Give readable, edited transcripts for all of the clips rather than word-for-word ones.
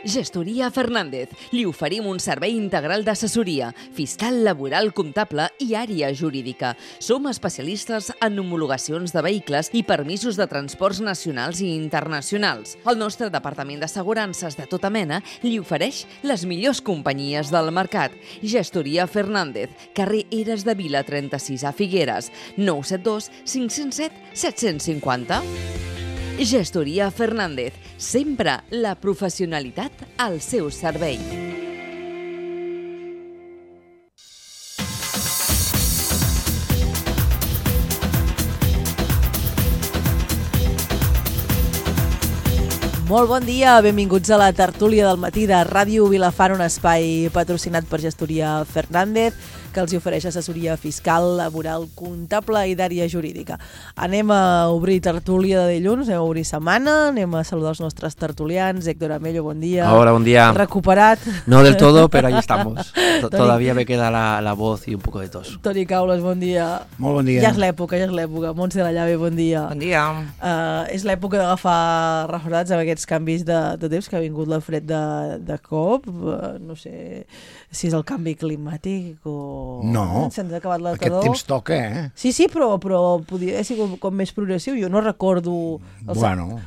Gestoria Fernández. Li oferim un servei integral d'assessoria, fiscal, laboral, comptable i àrea jurídica. Som especialistes en homologacions de vehicles i permisos de transports nacionals i internacionals. El nostre departament d'assegurances de tota mena li ofereix les millors companyies del mercat. Gestoria Fernández, carrer Eres de Vila 36 a Figueres, 972 507 750. Gestoria Fernández, sempre la professionalitat al seu servei. Molt bon dia, benvinguts a la tertúlia del matí de Ràdio Vilafant, un espai patrocinat per Gestoria Fernández, que els ofereix assessoria fiscal, laboral, comptable i d'àrea jurídica. Anem a obrir tertúlia de dilluns, anem a obrir setmana, anem a saludar els nostres tertulians. Héctor Amello, bon dia. Hola, bon día. Recuperat. No del todo, pero ahí estamos. Todavía me queda la voz y un poco de tos. Toni Caules, bon dia. Molt bon dia. Ja és l'època. Montse de la Llave, bon dia. Bon dia. És l'època d'agafar refredats amb aquests canvis de temps que ha vingut la fred de cop. No sé si és el canvi climàtic o... No, se'ns ha acabat la aquest tardor. temps toca, eh? Sí, però podia ser com més progressiu. Jo no recordo... Bueno...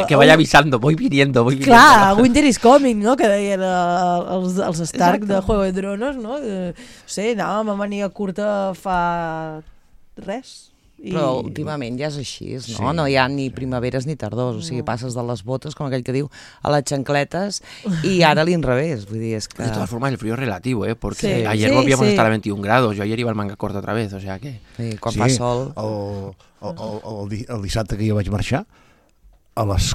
Que vaya avisando, voy viniendo. Clar, Winter is coming, no? Que deien els Stark de Juego de Tronos, no? No sé, anàvem a màniga curta fa res. Però últimament ja és així, no? Sí. No hi ha ni primaveres ni tardors, o sigui, passes de les botes, com aquell que diu, a les xancletes, i ara a l'inrevés, vull dir, és que... De todas formas, el frío es relativo, ¿eh? Porque Sí, ayer sí, volvíamos sí. a estar a 21 grados, yo ayer iba al manga corta otra vez, o sea que... Sí, quan fa sol... El dissabte que jo vaig marxar, a les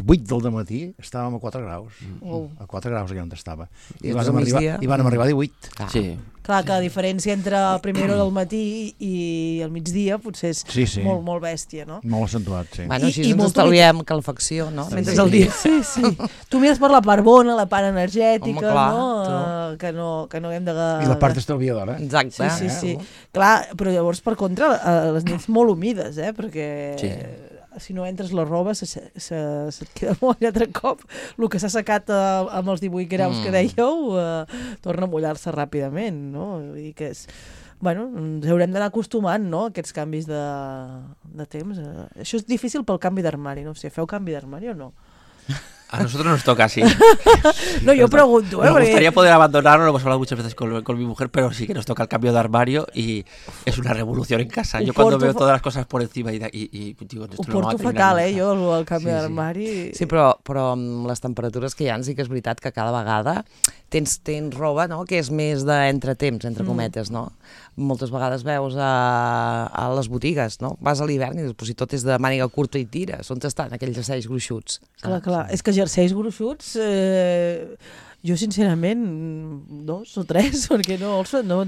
8 del matí estàvem a 4 graus. A 4 graus allà on estava. I I van arribar a 18. Ah. Sí. Clar, que la diferència entre la primera hora del matí i el migdia potser és Sí. molt, molt bèstia, no? Molt accentuat, sí. Bueno, així I ens molt estalviem calefacció, no? Mentre el dia... Sí. Tu mires per la part bona, la part energètica, Home, clar, no? Que no hem de... I la part estalviadora. Exacte. Sí. Clar, però llavors, per contra, les nits molt humides, perquè... Sí. Si no entres la roba se't queda molt altre cop. El que s'ha secat amb els 18 graus que dèieu torna a mullar-se ràpidament, no? Vull dir que és... Bueno, ens haurem d'anar acostumant, no?, a aquests canvis de temps. Això és difícil pel canvi d'armari, no sé, feu canvi d'armari o no? A nosotros nos toca así. No, yo pregunto, Me gustaría poder abandonarlo, lo hemos hablado muchas veces con mi mujer, pero sí que nos toca el cambio de armario y es una revolución en casa. Yo cuando veo todas las cosas por encima y digo, esto ho no va a porto terminar fatal, nunca. jo, el canvi Sí. d'armari. Sí, però amb les temperatures que hi ha sí que és veritat que cada vegada tens roba, no?, que és més d'entretemps, entre cometes, no? Moltes vegades veus a les botigues, no? Vas a l'hivern i dius, si tot és de màniga curta i tires, on estan aquells jerseis gruixuts? Clar, és que jerseis gruixuts, jo sincerament 2 o 3, perquè no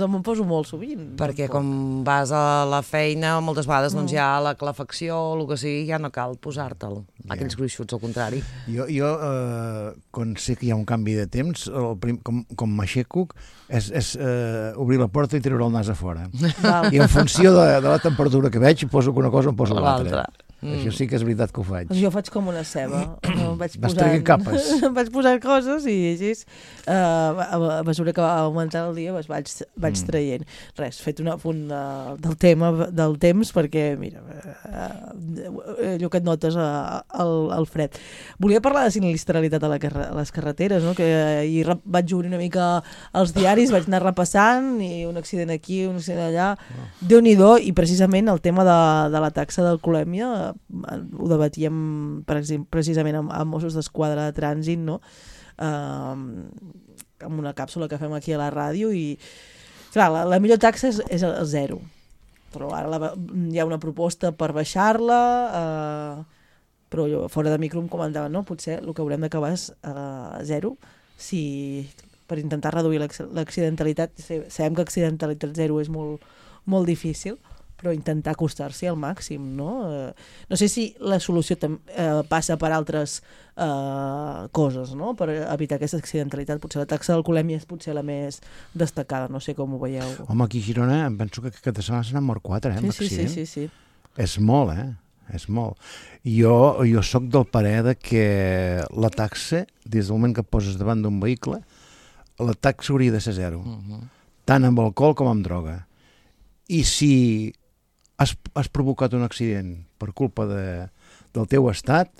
me'n poso molt sovint. Perquè com vas a la feina, moltes vegades doncs hi ha la calefacció o el que sigui, ja no cal posar-te'l. Aquells gruixuts, al contrari. Jo quan sé que hi ha un canvi de temps, com m'aixeco, és obrir la porta i treure el nas a fora. I en funció de la temperatura que veig, poso una cosa o em poso l'altra. Això sí que és veritat que ho faig. Jo faig com una ceba. Vas traient capes. Em vaig posant coses i així, a mesura que va augmentant el dia, vaig traient. Res, fet un apunt del tema del temps, perquè, mira, allò que et notes al fred. Volia parlar de sinistralitat a les carreteres, no? Que ahir vaig obrir una mica els diaris, vaig anar repassant, i un accident aquí, un accident allà. Déu-n'hi-do, i precisament el tema de la taxa d'alcoholèmia ho debatíem precisament amb Mossos d'Esquadra de Trànsit, no? Amb una càpsula que fem aquí a la ràdio, i clar, la millor taxa és el 0, però ara hi ha una proposta per baixar-la, però fora de micro em comentava, no? Potser el que haurem d'acabar és 0, per intentar reduir l'accidentalitat. Sabem que accidentalitat 0 és molt, molt difícil, però intentar acostar-s'hi al màxim, no? No sé si la solució passa per altres coses, no?, per evitar aquesta accidentalitat. Potser la taxa d'alcoholèmia és potser la més destacada, no sé com ho veieu. Home, aquí a Girona em penso que aquesta setmana se n'han mort 4, en accident. Sí. És molt, és molt. Jo sóc del parer de que la taxa, des del moment que et poses davant d'un vehicle, la taxa hauria de ser 0, tant amb alcohol com amb droga. I si has provocat un accident per culpa del teu estat,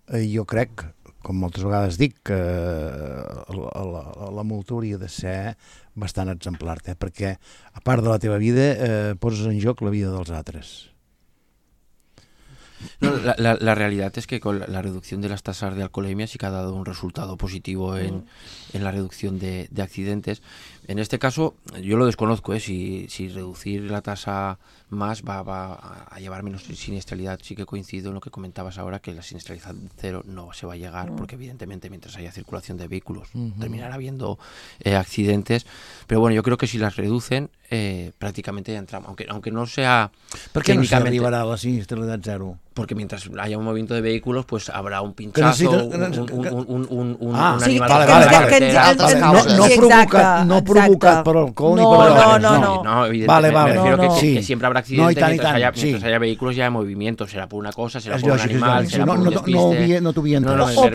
jo crec, com moltes vegades dic, que la multa hauria de ser bastant exemplar, perquè a part de la teva vida poses en joc la vida dels altres. No, la realidad es que con la reducción de las tasas de alcoholemia sí que ha dado un resultado positivo en la reducción de accidentes. En este caso, yo lo desconozco, si reducir la tasa más va a llevar menos siniestralidad. Sí que coincido en lo que comentabas ahora, que la siniestralidad 0 no se va a llegar, porque evidentemente mientras haya circulación de vehículos terminará habiendo accidentes. Pero bueno, yo creo que si las reducen, prácticamente ya entramos, aunque no sea ¿Por qué técnicamente... no se arribará a la siniestralidad 0? Porque mientras haya un movimiento de vehículos, pues habrá un pinchazo, un animal... No provocat per alcohol ni per drogues. No, evidentemente. Vale. Me refiero que siempre habrá accidentes mientras haya vehículos y haya movimiento. Será por una cosa, será por un animal, será por un No t'ho havia entès. O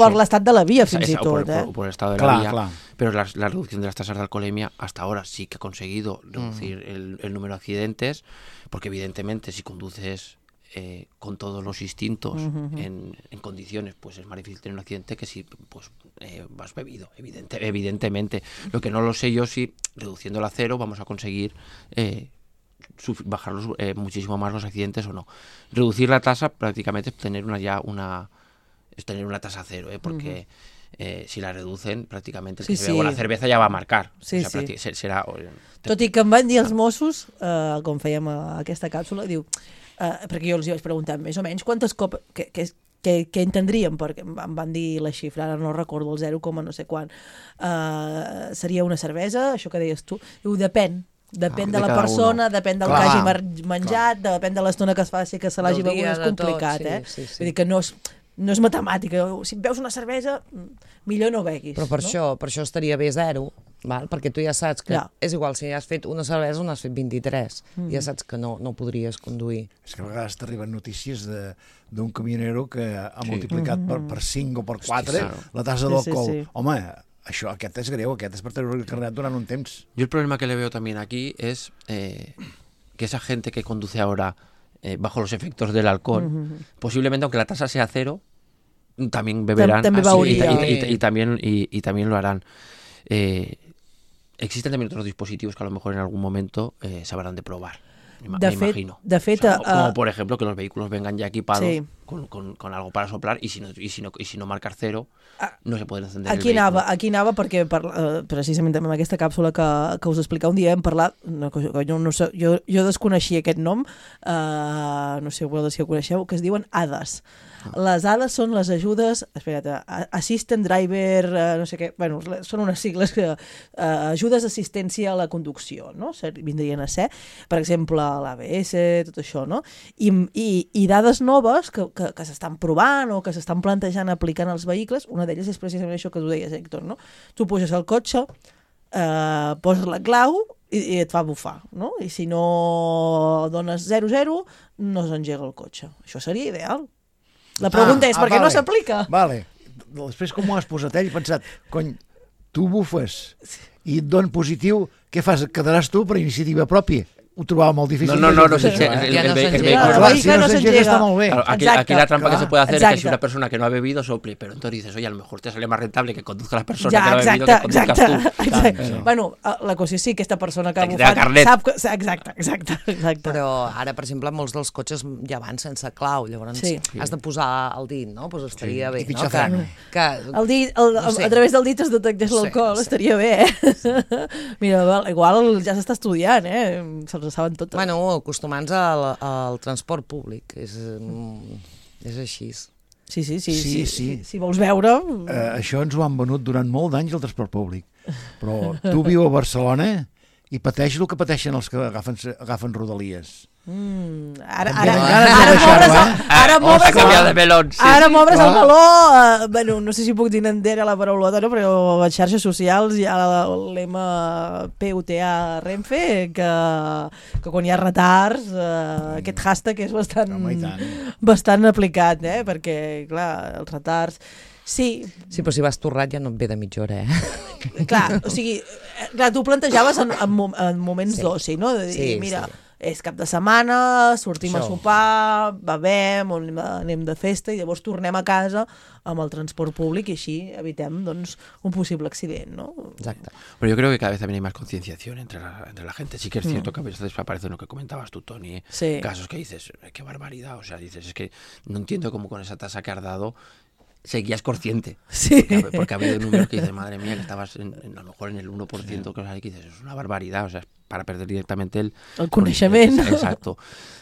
per l'estat de la via, fins i tot. O por el estado de la vía. Pero la reducción de las tasas de alcoholemia hasta ahora sí que ha conseguido reducir el número de accidentes, porque evidentemente si conduces con todos los instintos en condiciones, pues es más difícil tener un accidente que si vas bebido, evidentemente. Lo que no lo sé yo, si reduciéndola a 0 vamos a conseguir bajar muchísimo más los accidentes o no. Reducir la tasa prácticamente es tener una tasa 0, porque si la reducen, prácticamente el que se beu la cervesa ja va a marcar. Serà... Tot i que em van dir els Mossos, com fèiem aquesta càpsula, diu, perquè jo els vaig preguntar més o menys quantes copes, què entendríem, perquè em van dir la xifra, ara no recordo el 0, no sé quan, seria una cervesa, això que deies tu, diu, depèn de la persona, depèn del que hagi menjat, depèn de l'estona que es faci, que se l'hagi begut, és complicat, vull dir que no és matemàtica, si veus una cervesa millor no beguis. Però per això estaria bé 0, val? Perquè tu ja saps que és igual si has fet una cervesa o n'has fet 23, ja saps que no podries conduir. És que a vegades t'arriben notícies d'un camionero que ha multiplicat per 5 o per 4 la tasa d'alcohol. Home, aquest és greu, aquest és per treure el carnet durant un temps. Yo el problema que le veo también aquí es que esa gente que conduce ahora bajo los efectos del alcohol, posiblemente aunque la tasa sea 0, también beberán y también lo harán. Existen también otros dispositivos que a lo mejor en algún momento se habrán de probar, me imagino. De fet, como por ejemplo que los vehículos vengan ya equipados con algo para soplar y si no marcar 0 no se puede encender el vehículo. Aquí anava perquè precisament amb aquesta càpsula que us explicava un dia hem parlat, jo desconeixia aquest nom, no sé si ho coneixeu, que es diuen ADAS. Les ADAS són les ajudes, Assistant Driver, no sé què, bueno, són unes sigles que ajudes d'assistència a la conducció, no? Vindrien a ser, per exemple, l'ABS, tot això, no? I dades noves que s'estan provant o que s'estan plantejant aplicant als vehicles, una d'elles és precisament això que tu deies, Héctor, no? Tu puges al cotxe, poses la clau i et fa bufar, no? I si no dones 0-0, no s'engega el cotxe. Això seria ideal. La pregunta és, per què no s'aplica? Vale. Després, com ho has posat ell, he pensat, cony, tu bufes i et don positiu, què fas? Et quedaràs tu per iniciativa pròpia? Ho trobava molt difícil. No, no s'engega. Si no s'engega està molt bé. Aquí la trampa que se puede hacer es que si una persona que no ha bebido sople, pero entonces dices, oye, a lo mejor te sale más rentable que conduzca la persona que no ha bebido que conduzcas tú. Bueno, la cosa és sí, aquesta persona que ha bufat sap que... Exacte. Però ara, per exemple, molts dels cotxes ja van sense clau, llavors has de posar el dit, no? Doncs estaria bé. El dit, a través del dit es detectés l'alcohol, estaria bé, Mira, igual ja s'està estudiant, se'ls saben totes. Bueno, acostumant-se al transport públic, és així. Sí. Si vols veure... Això ens ho han venut durant molt d'anys el transport públic, però tu viu a Barcelona i pateix el que pateixen els que agafen rodalies. Ara m'obres el meló. Bueno, no sé si puc dir entera la paraulota, no? Però a les xarxes socials hi ha l'ema PUTA Renfe, que quan hi ha retards aquest hashtag és bastant aplicat, perquè clar, els retards sí, però si vas torrat ja no et ve de mitja hora, Clar, o sigui, tu plantejaves en moments d'oci, no? De dir, mira, és cap de setmana, sortim a sopar, bevem, anem de festa i llavors tornem a casa amb el transport públic y així evitem doncs, un possible accident, ¿no? Exacto. Pero yo creo que cada vez también hay más concienciación entre la gente. Sí que es cierto que a veces aparece lo que comentabas tú, Toni, casos que dices, qué barbaridad, o sea, dices, es que no entiendo cómo con esa tasa que has dado seguías consciente. Sí. Porque ha habido números que dices, madre mía, que estabas a lo mejor en el 1%, que dices, es una barbaridad, o sea, para perder directamente el conocimiento. Exacto.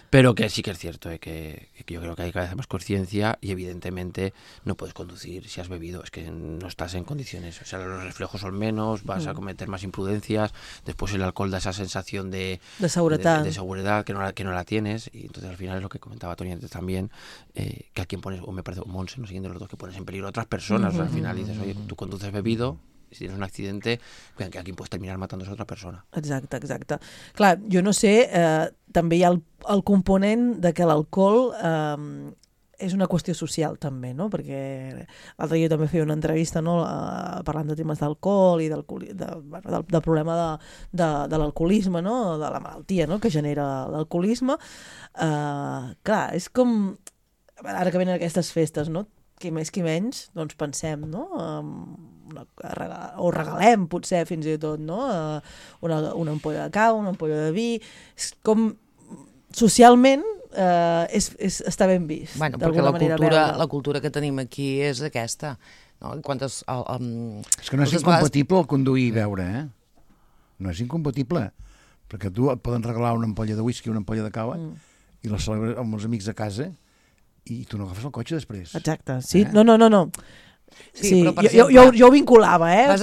Pero que sí que es cierto, que yo creo que hay cada vez más conciencia y evidentemente no puedes conducir si has bebido, es que no estás en condiciones, o sea, los reflejos son menos, vas a cometer más imprudencias, después el alcohol da esa sensación de seguridad que no la tienes, y entonces al final es lo que comentaba Toni antes también, que a quien pones, o me parece, Monse, no siguiendo los dos, que pones en peligro a otras personas, o sea, al final dices, oye, tú conduces bebido, si tienes un accidente, que aquí puedes terminar matándose a otra persona. Exacte. Clar, jo no sé, també hi ha el component de que l'alcohol és una qüestió social també, no? Perquè l'altre dia també feia una entrevista, no? Parlant de temes d'alcohol i del problema de l'alcoholisme, no? De la malaltia, no? Que genera l'alcoholisme. Clar, és com ara que venen aquestes festes, no? Qui més qui menys, doncs pensem, no? O regalem, potser, fins i tot, no? Una ampolla de cava, una ampolla de vi. És com socialment està ben vist. Bueno, perquè la cultura que tenim aquí és aquesta. No? És que no és incompatible el conduir i beure, No és incompatible. Perquè tu et poden regalar una ampolla de whisky, una ampolla de cava, i la celebres amb els amics a casa, i tu no agafes el cotxe després. Exacte, sí. No. Sí, jo ho vinculava, et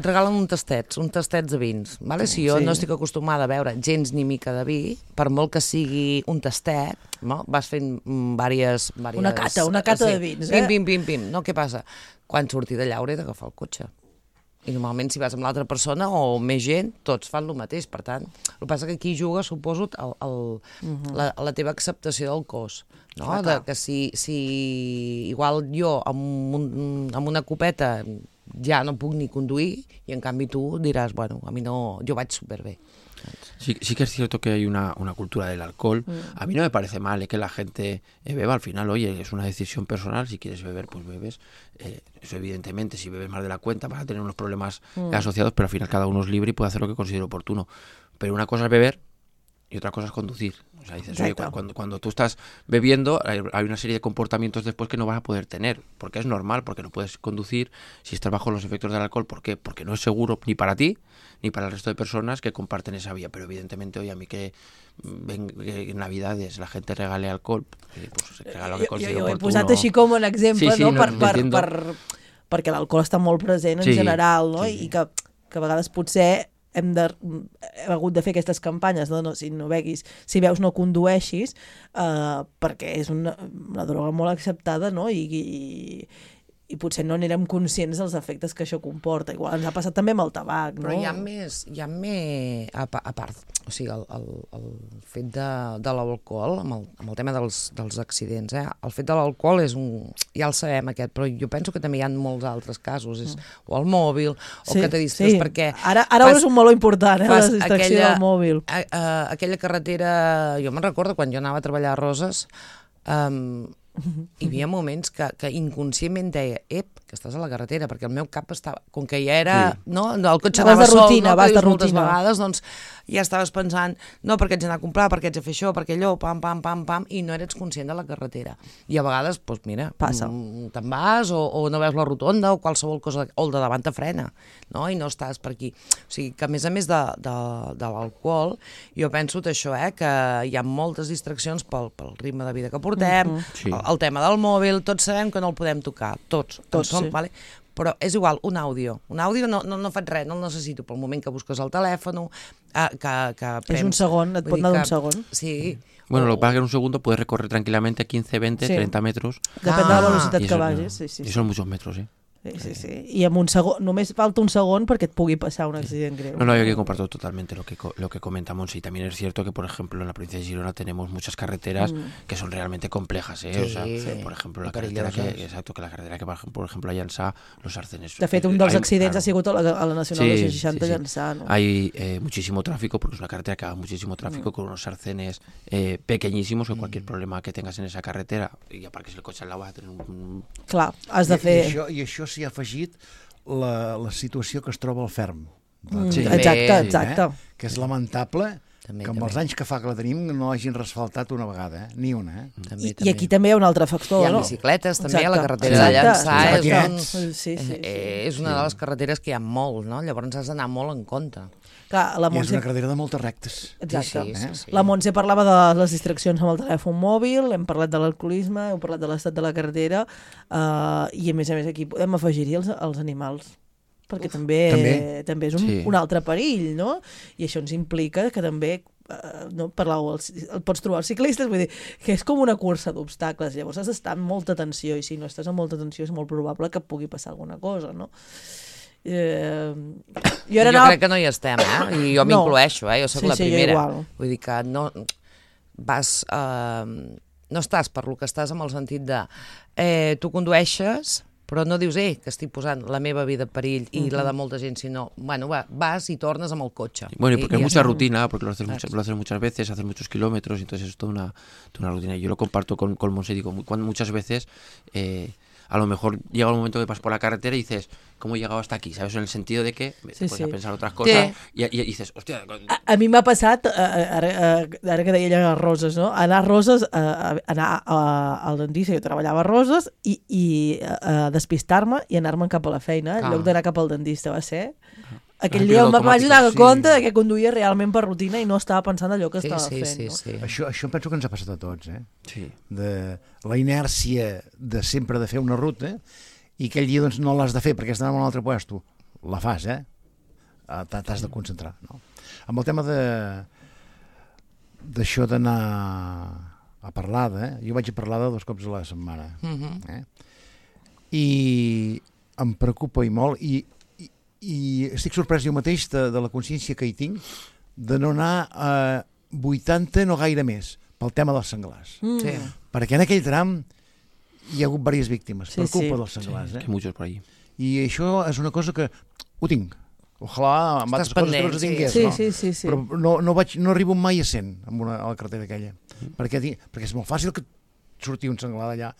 regalen un tastets de vins. Vale? Si jo no estic acostumada a beure gens ni mica de vi, per molt que sigui un tastet, no? Vas fent diverses... Una cata de vins. Pim. No, què passa? Quan surti d'allà hauré d'agafar el cotxe. I normalment si vas amb l'altra persona o més gent, tots fan el mateix. Per tant, el que passa que aquí juga, suposo, la teva acceptació del cos. No? Que si igual jo amb una copeta ja no puc ni conduir i en canvi tu diràs, bueno, a mi no, jo vaig superbé. Sí que es cierto que hay una cultura del alcohol. A mí no me parece mal que la gente beba. Al final, oye, es una decisión personal. Si quieres beber, pues bebes. Eso evidentemente, si bebes más de la cuenta vas a tener unos problemas asociados, pero al final cada uno es libre y puede hacer lo que considere oportuno. Pero una cosa es beber y otra cosa es conducir. O sea, dices, oye, cuando tú estás bebiendo hay una serie de comportamientos después que no vas a poder tener, porque es normal, porque no puedes conducir si estás bajo los efectos del alcohol. ¿Por qué? Porque no es seguro ni para ti ni para el resto de personas que comparten esa vía. Pero evidentemente, oye, a mí que en Navidades la gente regale alcohol, pues regala lo que considero oportuno. Jo he posat així com un exemple, perquè l'alcohol està molt present en general, no? I que a vegades potser hem hagut de fer aquestes campanyes de si no beguis, si veus no condueixis, perquè és una droga molt acceptada, no? I potser no n'érem conscients dels efectes que això comporta. Igual ens ha passat també amb el tabac, no? Però hi ha més a part, o sigui, el fet de l'alcohol, amb el tema dels accidents, el fet de l'alcohol és ja el sabem aquest, però jo penso que també hi ha molts altres casos, o el mòbil, o que te distreus, perquè... Ara és un meló important, la distracció del mòbil. Aquella carretera, jo me'n recordo quan jo anava a treballar a Roses, hi havia moments que inconscientment deia, que estàs a la carretera, perquè el meu cap estava, com que ja era, no, el cotxe anava sol, moltes vegades, doncs ja estaves pensant, no, perquè haig d'anar a comprar, perquè haig de fer això, perquè allò, pam, i no eres conscient de la carretera. I a vegades, doncs mira, te'n vas o no veus la rotonda o qualsevol cosa, o el de davant te frena, no? I no estàs per aquí. O sigui, que a més de l'alcohol, jo penso això, que hi ha moltes distraccions pel ritme de vida que portem, el tema del mòbil, tots sabem que no el podem tocar, tots, vale? però és igual, un àudio no faig res, no el necessito pel moment que busques el telèfon, que és un segon, et pot anar d'un segon. Sí. Bueno, lo que pasa es que en un segundo puedes recorrer tranquilamente 15, 20, 30 metros. Depèn de la velocitat que vagis. Y son muchos metros, Sí. I amb un segon, només falta un segon perquè et pugui pasar un accident greu. No, yo que comparto totalmente lo que comenta Montse. Y también es cierto que, por ejemplo, en la provincia de Girona tenemos muchas carreteras que son realmente complejas, Sí, o sea, por ejemplo, la carretera que va, por ejemplo, a Llançà, los arcenes. De fet, un dels accidents ha sigut a la Nacional 260 a Llançà, ¿no? Hay muchísimo tráfico, porque es una carretera que va muchísimo tráfico, con unos arcenes pequeñísimos, que cualquier problema que tengas en esa carretera, y aparques el coche al lado, vas a tener un... Clar, has de fer... I això s'hi ha afegit la situació que es troba al ferm. Exacte. Que és lamentable també, que amb els anys que fa que la tenim no hagin resfaltat una vegada, ni una. I aquí també hi ha un altre factor, hi ha no? bicicletes també a la carretera de Llançà, sí. És una de les carreteres que hi ha molt, no? Llavors has d'anar molt en compte. Clar, I és una carretera de moltes rectes. Exacte. Sí. La Montse parlava de les distraccions amb el telèfon mòbil, hem parlat de l'alcoholisme, hem parlat de l'estat de la carretera, i a més aquí podem afegir-hi els animals, perquè també és un altre perill, no? I això ens implica que també no, el pots trobar els ciclistes, vull dir, que és com una cursa d'obstacles, llavors has d'estar amb molta atenció, i si no estàs amb molta atenció és molt probable que pugui passar alguna cosa, no? Jo crec que no hi estem, i jo m'incloeixo, jo soc la primera, vull dir que no vas no estàs per lo que estàs amb el sentit de tu condueixes però no dius, que estic posant la meva vida en perill i la de molta gent, sinó, bueno, vas i tornes amb el cotxe. Bueno, y porque hay mucha rutina, porque lo haces muchas veces, haces muchos kilómetros, entonces es toda una rutina. Yo lo comparto con Montse, digo, muchas veces a lo mejor llega un momento que vas por la carretera y dices, ¿cómo he llegado hasta aquí? ¿Sabes? En el sentido de que te pones a pensar otras cosas y dices, hòstia... A mi m'ha passat, ara que deia ella a Roses, no? Anar a Roses, anar al dentista, jo treballava a Roses, i despistar-me i anar-me'n cap a la feina, en lloc d'anar cap al dentista, va ser... Aquell dia em vaig donar compte que conduïa realment per rutina i no estava pensant allò que estava fent. Sí. Això penso que ens ha passat a tots, Sí. De la inèrcia de sempre de fer una ruta i aquell dia doncs, no l'has de fer perquè has d'anar a un altre puesto. La fas, t'has de concentrar. No? Amb el tema d'això d'anar a Parlada, jo vaig a Parlada 2 cops a la setmana. I em preocupa i molt, i estic sorprès jo mateix de la consciència que hi tinc de no anar a 80, no gaire més, pel tema dels senglars. Perquè en aquell tram hi ha hagut diverses víctimes per culpa dels senglars. Que muchos por ahí. I això és una cosa que ho tinc. Ojalà amb altres coses que no es tingués, no? Però no arribo mai a 100 a la carretera aquella. Perquè és molt fàcil que sortir un senglar d'allà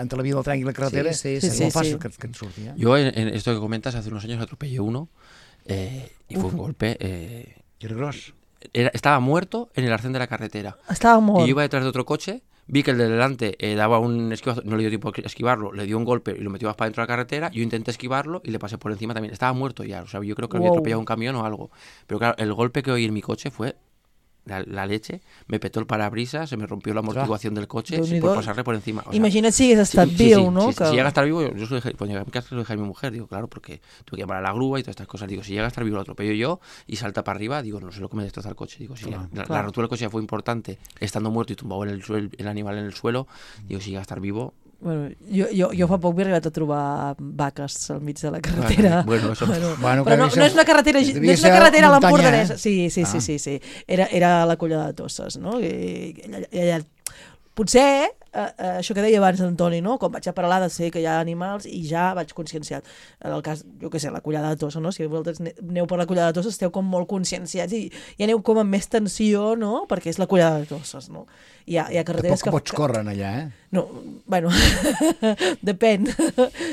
entre la vía del tren y la carretera, es muy fácil que te surti. Yo en esto que comentas, hace unos años atropellé uno y fue un golpe... ¿Y era grosso? Estaba muerto en el arcén de la carretera. Estaba muerto. Y yo iba detrás de otro coche, vi que el de delante daba un esquivazo, no le dio tiempo a esquivarlo, le dio un golpe y lo metió más para dentro de la carretera, yo intenté esquivarlo y le pasé por encima también. Estaba muerto ya, o sea, yo creo que había atropellado un camión o algo. Pero claro, el golpe que oí en mi coche fue... La leche, me petó el parabrisas, se me rompió la amortiguación del coche por pasarle por encima. O sea, imagina't si hagués estat viu, ¿no? Si llega a estar vivo, yo se lo dejé, pues en mi casa se lo dejé a mi mujer, digo, claro, porque tuve que llamar a la grúa y todas estas cosas. Digo, si llega a estar vivo lo atropello yo y salta para arriba, digo, no sé lo que me destroza el coche. Digo, si la rotura del coche ya fue importante, estando muerto y tumbado el animal en el suelo, digo, si llega a estar vivo... Bueno, jo fa poc m'he arribat a trobar vaques al mig de la carretera. Bueno, eso... però no és una carretera, no és una carretera a l'Empordanès. Sí. Era a la Collada de Tosses, no? I allà, potser, això que deia abans Antoni, no? Com vaig a Peralada sé que hi ha animals i ja vaig conscienciat. En el cas, jo què sé, la Collada de Tosses, no? Si vosaltres aneu per la Collada de Tosses esteu com molt conscienciats i aneu com amb més tensió, no? Perquè és la Collada de Tosses, no? Hi ha carreteres que... Tampoc pots córrer allà, No, bueno, depèn.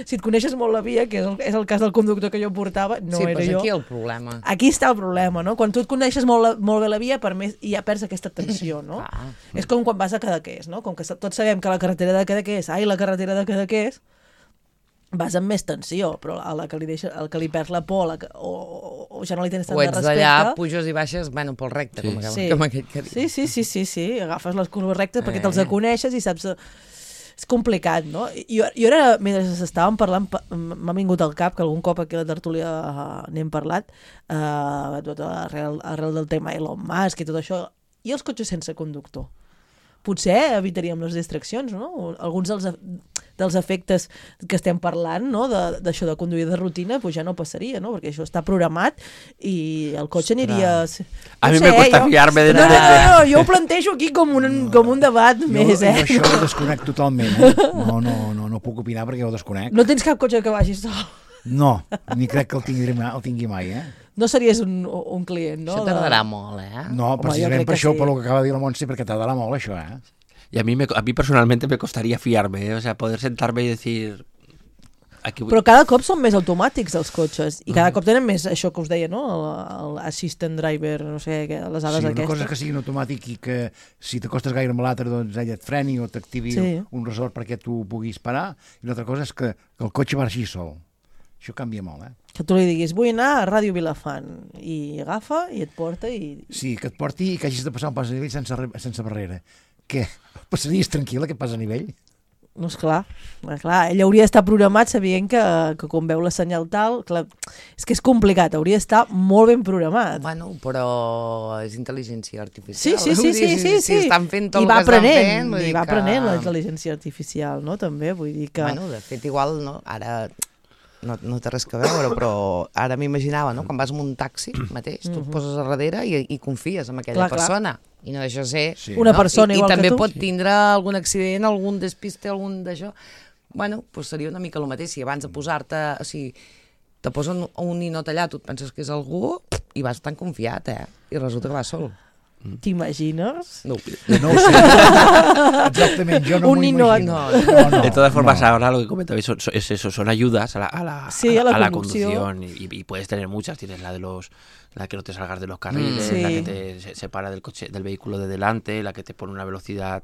Si et coneixes molt la via, que és el cas del conductor que jo portava, no era jo. Sí, però aquí el problema. Aquí està el problema, no? Quan tu et coneixes molt bé la via, per més ja perds aquesta tensió, no? És com quan vas a Cadaqués, no? Com que tots sabem que la carretera de Cadaqués, la carretera de Cadaqués, vas amb més tensió, però el que li perds la por o ja no li tens tant de respecte... O ets d'allà, puges i baixes, bueno, pel recte, com aquell que diu. Sí, agafes les curves rectes perquè te'ls coneixes i saps... És és complicat, no? Jo ara, mentre estàvem parlant, m'ha vingut al cap que algun cop aquí a la tertúlia n'hem parlat, arrel del tema Elon Musk i tot això, i els cotxes sense conductor. Potser evitaríem les distraccions, no? Alguns dels efectes que estem parlant, no? D'això de conduir de rutina, pues ja no passaria, no? Perquè això està programat i el cotxe aniria... A mi me costa fiar-me de... No, jo ho plantejo aquí com un debat més, Jo això ho desconec totalment, no puc opinar perquè ho desconec. No tens cap cotxe que vagi sol? No, ni crec que el tingui mai, No series un client, no? Això tardarà molt, No, precisament per això, per lo que acaba de dir la Montse, perquè tardarà molt això, Y a mí personalmente me costaría fiarme, o sea, poder sentarme y decir... Però cada cop són més automàtics els cotxes i cada cop tenen més això que us deia, no? L'assistant driver, no sé, les dades aquestes. Sí, una cosa que sigui automàtic i que si t'acostes gaire amb l'altre, doncs ella et freni o t'activi un resort perquè tu puguis parar, i l'altra cosa és que el cotxe marxi sol. Això canvia molt, Que tu li diguis, vull anar a Ràdio Vilafant, i agafa i et porta i... Sí, que et porti i que hagis de passar un pas a nivell sense barrera. Què? Passaries tranquil·la que pas a nivell? No, esclar, ell hauria d'estar programat sabent que quan veu la senyal tal, clar, és que és complicat, hauria d'estar molt ben programat. Bueno, però és intel·ligència artificial. Sí. Estan fent tot I va el que estan fent. I va aprenent la intel·ligència artificial, no? També, vull dir que... Bueno, de fet, igual, no? Ara no té res que veure, però ara m'imaginava, no? Quan vas amb un taxi mateix, tu et poses a darrere i confies en aquella persona. I no deixa de ser... Una persona igual que tu. I també pot tindre algun accident, algun despiste, algun d'això. Bueno, doncs seria una mica el mateix. Si abans de posar-te... O sigui, te posen un ninot allà, tu et penses que és algú i vas tan confiat, I resulta que vas sol. ¿T'imagines? No. No ho sé. Exactamente, yo no un me imagino. No. De todas formas, ahora lo que comentabais es eso, son ayudas a la conducción y puedes tener muchas. Tienes la que no te salgas de los carriles, la que te separa del vehículo de delante, la que te pone una velocidad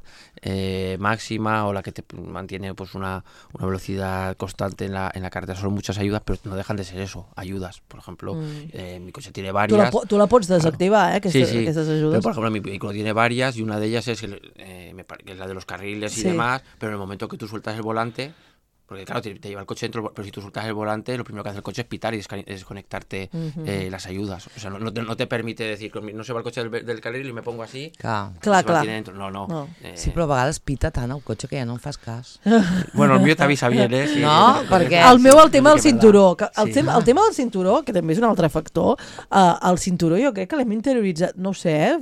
máxima o la que te mantiene pues una velocidad constante en la carretera. Son muchas ayudas, pero no dejan de ser eso, ayudas. Por ejemplo, mi coche tiene varias. Tú la pots desactivar, aquestes ayudas. Pero, por ejemplo, mi vehículo tiene varias y una de ellas es que es la de los carriles y demás, pero en el momento que tú sueltas el volante, porque claro, te lleva el coche dentro, pero si tú sueltas el volante, lo primero que hace el coche es pitar y desconectarte las ayudas. O sea, no te permite decir, no se va el coche del carril y me pongo así. Clar. Dentro. No. Sí, però a vegades pita tant el cotxe que ja no em fas cas. Bueno, el meu t'avisa bien, Sí, no, perquè... El meu, el tema del cinturó. El tema del cinturó, que també és un altre factor, el cinturó jo crec que l'hem interioritzat, no ho sé,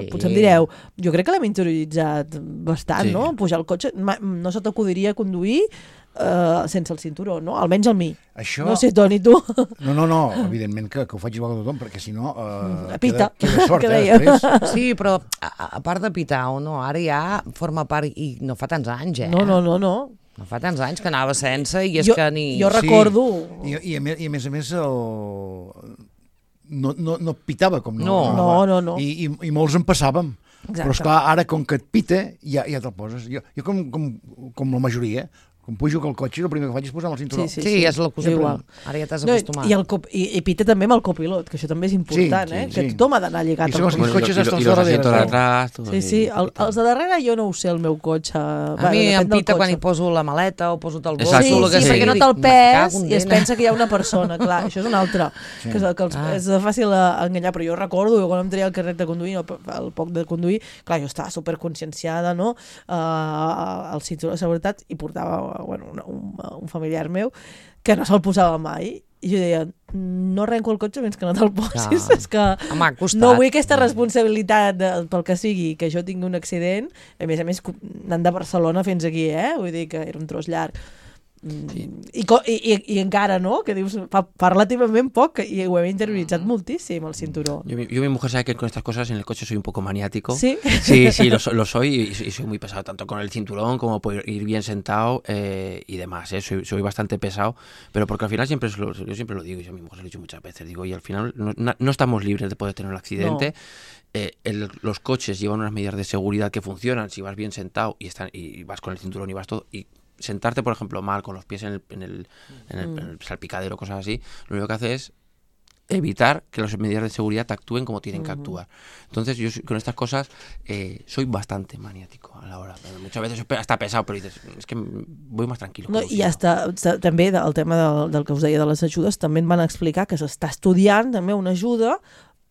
potser em direu, jo crec que l'hem interioritzat bastant, no? Pujar el cotxe, no se t'acudiria conduir sense el cinturó, no? Almenys el mi. Això... No sé, Toni, tu. No, evidentment que ho faig igual que tothom, perquè si no pita, queda sort, després. Sí, però a part de pitar o no, ara ja forma part, i no fa tants anys, No. No fa tants anys que anava sense i és que ni... Jo recordo... I a més no pitava com no. I molts en passàvem. Exacte. Però esclar, ara com que et pita ja te'l poses. Jo com la majoria, quan pujo al cotxe, el primer que faig és posar el cinturó. Sí, és la cosa igual. Ara ja t'has acostumat. I pita també amb el copilot, que això també és important, que tothom ha d'anar lligat al cotxe. I cotxes estan darrere. Sí, els de darrere jo no ho sé, el meu cotxe. A mi em pita quan hi poso la maleta o poso el bolso. Sí, perquè no te'l pes i es pensa que hi ha una persona, clar, això és un altre, que és fàcil enganyar, però jo recordo, quan em treia el carnet de conduir, el poc de conduir, clar, jo estava superconscienciada, no?, el cinturó de seguretat, i portava un familiar meu que no se'l posava mai i jo deia, no arrenco el cotxe fins que no te'l posis, és que no vull aquesta responsabilitat pel que sigui, que jo tingui un accident, a més anant de Barcelona fins aquí, vull dir que era un tros llarg. I encara, no? Que dius, fa relativament poc i ho hem interioritzat moltíssim, el cinturó. Yo mi mujer sabe que con estas cosas en el coche soy un poco maniático. ¿Sí? Sí, lo soy y soy muy pesado, tanto con el cinturón como por ir bien sentado y demás, soy bastante pesado, pero porque al final yo siempre lo digo, y a mi mujer se lo he dicho muchas veces, digo, y al final no estamos libres de poder tener un accidente. No. Los coches llevan unas medidas de seguridad que funcionan si vas bien sentado y vas con el cinturón y vas todo, y sentarte, por ejemplo, mal, con los pies en el salpicadero, cosas así, lo único que hace es evitar que las medidas de seguridad actúen como tienen que actuar. Entonces yo con estas cosas soy bastante maniático a la hora. Muchas veces hasta pesado, però dices, és que voy más tranquilo. No, I també el tema del que us deia de les ajudes, també em van explicar que s'està estudiant també una ajuda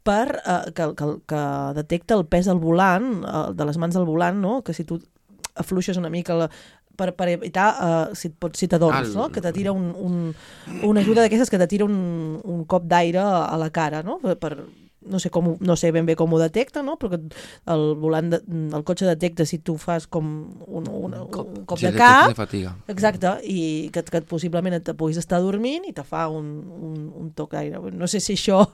per que detecta el pes al volant, de les mans al volant, no? Que si tu afluixes una mica per evitar, si t'adorms, no? Que te tira una ajuda d'aquestes que te tira un cop d'aire a la cara, no? No sé ben bé com ho detecta, no? Però el volant del cotxe detecta si tu fas com un cop de cap, de fatiga. Exacte, i que possiblement et puguis estar dormint i te fa un toc d'aire. No sé si això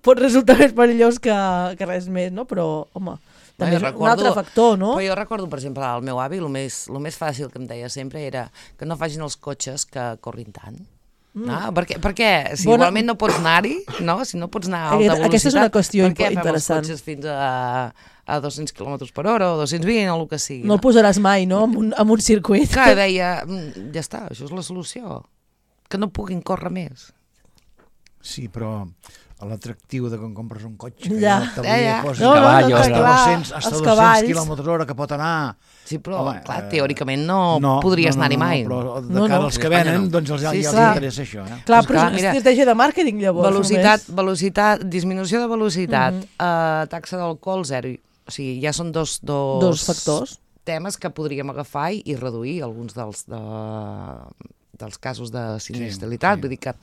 pot resultar més perillós que res més, no? Però, home, també és un altre factor, no? Però jo recordo, per exemple, el meu avi, el més fàcil que em deia sempre era que no facin els cotxes que corrin tant. Perquè si igualment no pots anar-hi, no? Si no pots anar a alta velocitat, aquesta és una qüestió interessant. Per què fem els cotxes fins a 200 km per hora o 220 o el que sigui? No el posaràs mai, no?, en un circuit. Clar, deia, ja està, això és la solució, que no puguin córrer més. Sí, però l'atractiu de quan compres un cotxe que ja posa hasta 200 km/h que pot anar. Sí, però clar, teòricament no podries anar-hi mai. Però de cara als que venen, doncs els interessa això. Clar, però és una estratègia de màrqueting, llavors. Velocitat, disminució de velocitat, taxa d'alcohol 0. O sigui, ja són dos factors, temes que podríem agafar i reduir alguns dels casos de sinistralitat. Vull dir que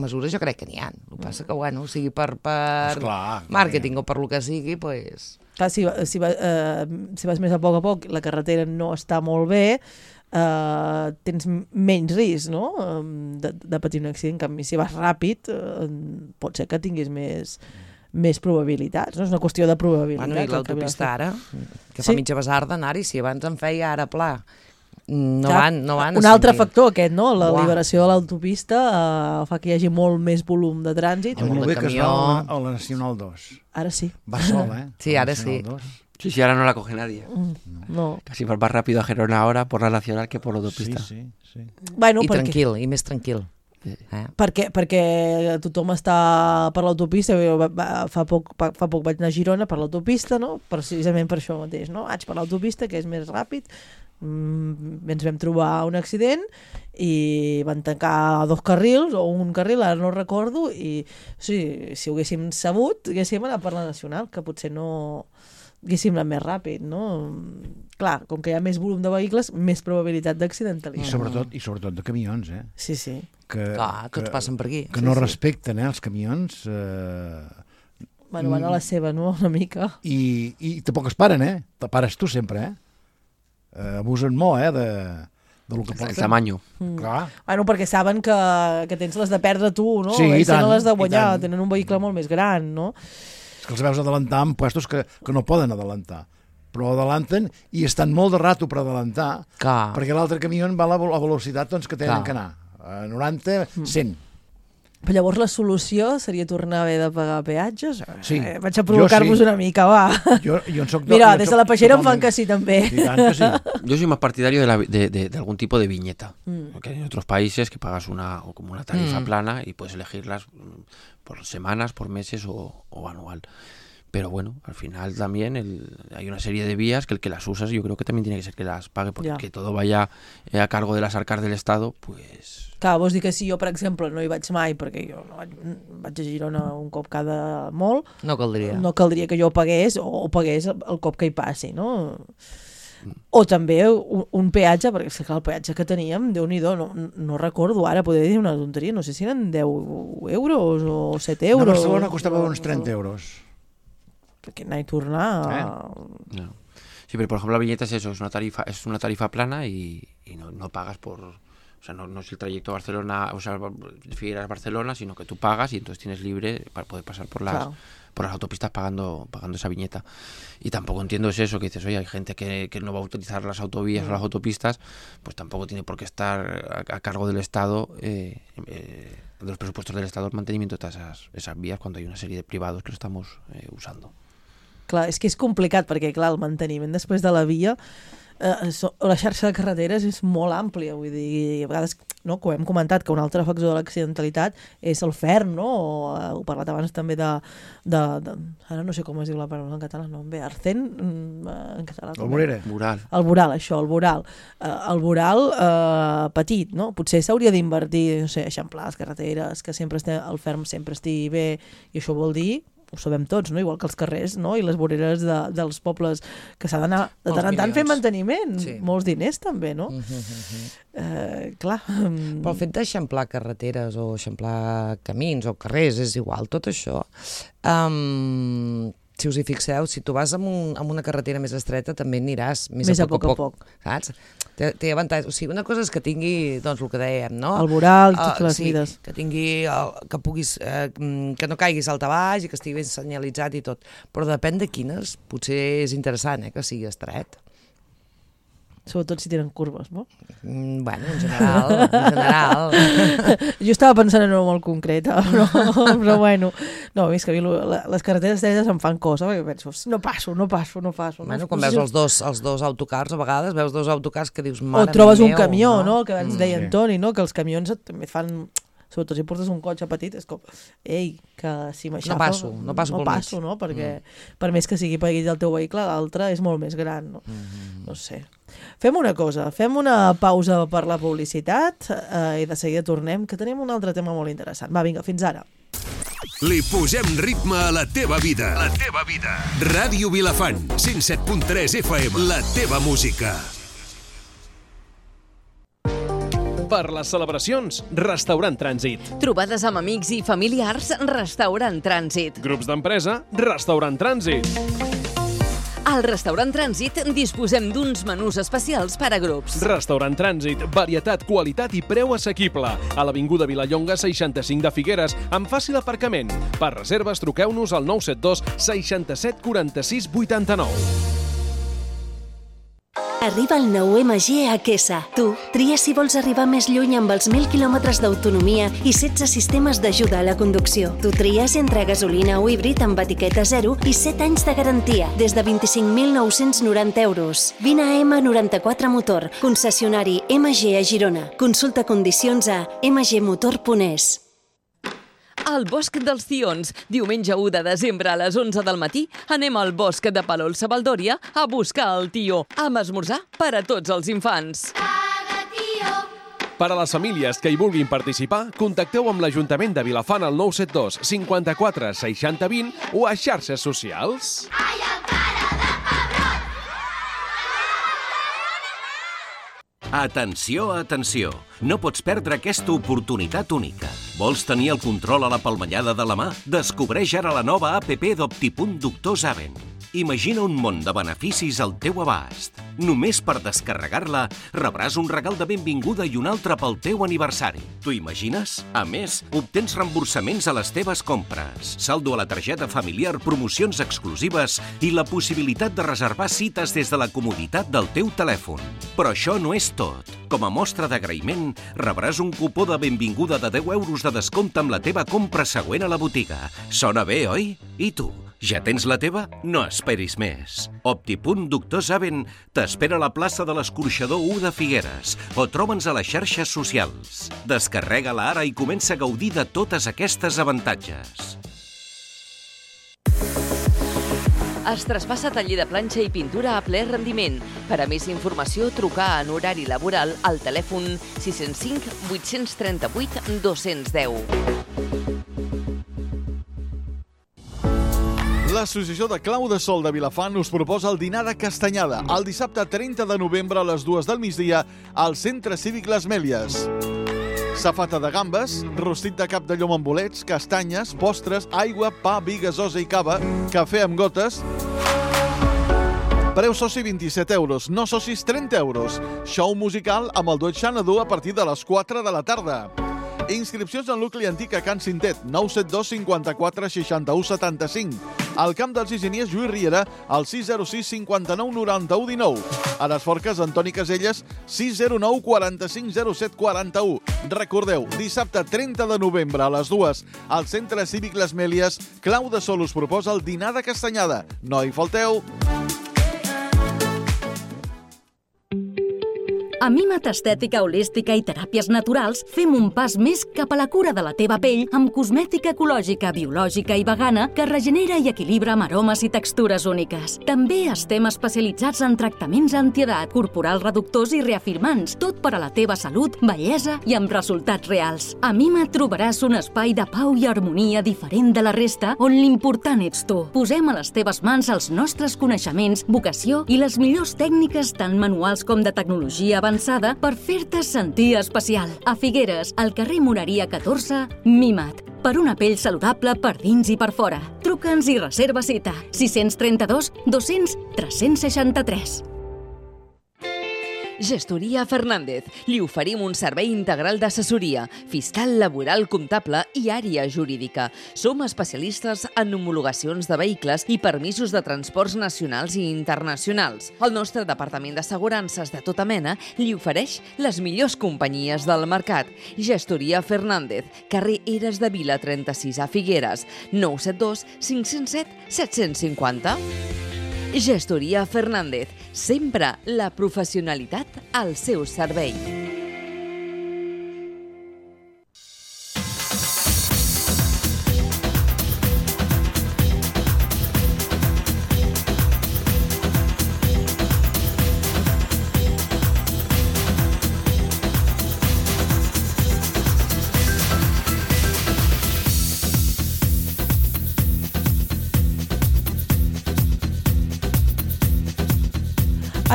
mesures jo crec que n'hi ha. El que passa que, bueno, o sigui per màrqueting o per lo que sigui, doncs... Clar, si vas més a poc, la carretera no està molt bé, tens menys risc, no?, de patir un accident. En canvi, si vas ràpid, pot ser que tinguis més probabilitats, no? És una qüestió de probabilitat. Bueno, i l'autopista ara, que fa mitja basarda anar-hi, si abans en feia ara pla. No van. Un altre factor aquest, no? La liberació de l'autopista fa que hi hagi molt més volum de trànsit. Molt bé que es va a la Nacional 2. Ara sí. Va sol, Sí, ara sí. Sí, ahora no la coge nadie. No. Casi vas más rápido a Gerona ahora por la Nacional que por la autopista. Sí. Bueno, I tranquil, i més tranquil. Perquè tothom està per l'autopista. Fa poc vaig anar a Girona per l'autopista, no? Precisament per això mateix, no? Vaig per l'autopista, que és més ràpid. Ens vam trobar un accident i van tancar 2 carrils o un carril, ara no recordo, i si ho haguéssim sabut haguéssim anat per la Nacional, que potser no haguéssim anat més ràpid, no? Clar, com que hi ha més volum de vehicles, més probabilitat d'accidentalitat. I sobretot de camions, Sí. Clar, tots passen per aquí. Que no respecten, els camions. Van a la seva, no?, una mica. I tampoc es paren, Te pares tu sempre, abusen molt, de lo que porten. El tamaño. Clar. Bueno, perquè saben que tens les de perdre tu, no? Sí, i tant. Tenen les de guanyar, tenen un vehicle molt més gran, no? És que els veus adelantar en puestos que no poden adelantar, però adelanten i estan molt de rato per adelantar, perquè l'altre camió va a la velocitat que tenen que anar, a 90, 100. Però llavors la solució seria tornar a haver de pagar peatges? Sí. Vaig a provocar-vos una mica, va. Jo en soc Mira, des de la peixera em fan que sí, també. I tant que sí. Yo soy más partidario de algún tipo de viñeta. Porque hay otros países que pagas como una tarifa plana y puedes elegirlas por semanas, por meses o anual. Pero bueno, al final también hay una serie de vías que el que las usas yo creo que también tiene que ser que las pague, porque que todo vaya a cargo de las arcas del Estado, pues... Clar, vols dir que si jo, per exemple, no hi vaig mai, perquè jo vaig a Girona un cop cada molt... No caldria. No caldria que jo pagués o pagués el cop que hi passi, no? O també un peatge, perquè és que el peatge que teníem, Déu-n'hi-do, no recordo ara, podria dir una tonteria, no sé si eren 10 euros o 7 euros. A Barcelona costava uns 30 euros. Perquè anar i tornar... No. Sí, pero por ejemplo la viñeta es eso, es una tarifa plana y no pagas por... O sea, no es el trayecto a Barcelona, o sea, Figueras Barcelona, sino que tú pagas y entonces tienes libre para poder pasar por las autopistas pagando esa viñeta. Y tampoco entiendo eso, que dices, oye, hay gente que no va a utilizar las autovías o las autopistas, pues tampoco tiene por qué estar a cargo del Estado, de los presupuestos del Estado, el mantenimiento de todas esas vías, cuando hay una serie de privados que lo estamos usando. Clar, és que és complicat, perquè clar, el manteniment després de la via, la xarxa de carreteres és molt àmplia, vull dir, a vegades, no, que ho hem comentat, que un altre factor de l'accidentalitat és el ferm, no? Ho he parlat abans també de ara no sé com es diu la paraula en català, no, bé, arcén, en català. El vorera. El voral, això, el voral. El voral petit, no? Potser s'hauria d'invertir, no sé, eixamplar les carreteres, que sempre el ferm sempre estigui bé, i això vol dir, ho sabem tots, no? Igual que els carrers, no? I les voreres dels pobles, que s'ha d'anar de tant en tant fer manteniment, molts diners també, no? Clar. Però el fet d'eixamplar carreteres o eixamplar camins o carrers, és igual, tot això. Si us hi fixeu, si tu vas amb una carretera més estreta, també aniràs més a poc a poc. Saps? Té avantatge. O sigui, una cosa és que tingui, doncs, el que dèiem, no? El voral i totes les vides. Que tingui, que puguis, que no caiguis alt a baix i que estigui ben senyalitzat i tot. Però depèn de quines, potser és interessant, que sigui estret. Sobretot si tenen curves, no? Bueno, en general. Jo estava pensant en una molt concreta, però bueno. No, és que a mi les carreteres estretes em fan cosa, perquè penso, no passo. Bueno, quan veus els dos autocars, a vegades veus dos autocars que dius, mare meva. O trobes un camió, no? Que abans deia Antoni, no? Que els camions també fan... Sobretot si portes un cotxe petit, és com, ei, que si m'aixafa... No passo, no? Perquè per més que sigui petit el teu vehicle, l'altre és molt més gran, no? No sé. Fem una cosa, fem una pausa per la publicitat i de seguida tornem, que tenim un altre tema molt interessant. Va, vinga, fins ara. Li posem ritme a la teva vida. La teva vida. Ràdio Vilafant, 107.3 FM. La teva música. Per les celebracions, Restaurant Trànsit. Trobades amb amics i familiars, Restaurant Trànsit. Grups d'empresa, Restaurant Trànsit. Al Restaurant Trànsit disposem d'uns menús especials per a grups. Restaurant Trànsit, varietat, qualitat i preu assequible. A l'Avinguda Vilallonga 65 de Figueres, amb fàcil aparcament. Per reserves, truqueu-nos al 972 67 46 89. Arriba el nou MG a Quesa. Tu, tria si vols arribar més lluny amb els 1.000 quilòmetres d'autonomia i 16 sistemes d'ajuda a la conducció. Tu tries entre gasolina o híbrid amb etiqueta 0 i 7 anys de garantia, des de 25.990 euros. Vine a M94 Motor, concessionari MG a Girona. Consulta condicions a mgmotor.es. Al Bosc dels Tions, diumenge 1 de desembre a les 11 del matí, anem al bosc de Palol-Savaldòria a buscar el tió, amb esmorzar per a tots els infants. Per a les famílies que hi vulguin participar, contacteu amb l'Ajuntament de Vilafant al 972 54 60 20 o a xarxes socials. Atenció, atenció! No pots perdre aquesta oportunitat única. Vols tenir el control a la palmellada de la mà? Descobreix ara la nova APP d'Optipunt Doctor Saben. Imagina un món de beneficis al teu abast. Només per descarregar-la rebràs un regal de benvinguda i un altre pel teu aniversari. T'ho imagines? A més, obtens reemborsaments a les teves compres, saldo a la targeta familiar, promocions exclusives i la possibilitat de reservar cites des de la comoditat del teu telèfon. Però això no és tot. Com a mostra d'agraïment, rebràs un cupó de benvinguda de 10 euros de descompte amb la teva compra següent a la botiga. Sona bé, oi? I tu? Ja tens la teva? No esperis més. Optipunt Doctor Saben t'espera a la plaça de l'Escorxador 1 de Figueres o troba'ns a les xarxes socials. Descarrega-la ara i comença a gaudir de totes aquestes avantatges. Es traspassa taller de planxa i pintura a ple rendiment. Per a més informació, trucar en horari laboral al telèfon 605 838 210. L'Associació de Clau de Sol de Vilafant us proposa el dinar de castanyada el dissabte 30 de novembre a les 2 del migdia al Centre Cívic Les Mèlies. Safata de gambes, rostit de cap de llom amb bolets, castanyes, postres, aigua, pa, vi, gasosa i cava, cafè amb gotes. Preu soci 27 euros, no socis 30 euros. Show musical amb el duet Xanadu a partir de les 4 de la tarda. Inscripcions en nucli antic a Can Cintet, 972 54 61 75. Al Camp dels Higieniers Lluís Riera, al 606 59 91 19. A les Forques, Antoni Caselles, 609 45 07 41. Recordeu, dissabte 30 de novembre a les 2, al Centre Cívic Les Mèlies, Clau de Sol us proposa el dinar de castanyada. No hi falteu! A Mimat Estètica Holística i Teràpies Naturals fem un pas més cap a la cura de la teva pell amb cosmètica ecològica, biològica i vegana que regenera i equilibra amb aromes i textures úniques. També estem especialitzats en tractaments antiedat, corporals reductors i reafirmants, tot per a la teva salut, bellesa i amb resultats reals. A Mimat trobaràs un espai de pau i harmonia diferent de la resta on l'important ets tu. Posem a les teves mans els nostres coneixements, vocació i les millors tècniques tant manuals com de tecnologia avançada per fer-te sentir especial. A Figueres, al carrer Moreria 14, Mimat. Per una pell saludable per dins i per fora. Truca'ns i reserva cita. 632 200 363. Gestoria Fernández. Li oferim un servei integral d'assessoria, fiscal, laboral, comptable i àrea jurídica. Som especialistes en homologacions de vehicles i permisos de transports nacionals i internacionals. El nostre departament d'assegurances de tota mena li ofereix les millors companyies del mercat. Gestoria Fernández, carrer Eres de Vila 36 a Figueres, 972 507 750. Gestoria Fernández, sempre la professionalitat al seu servei.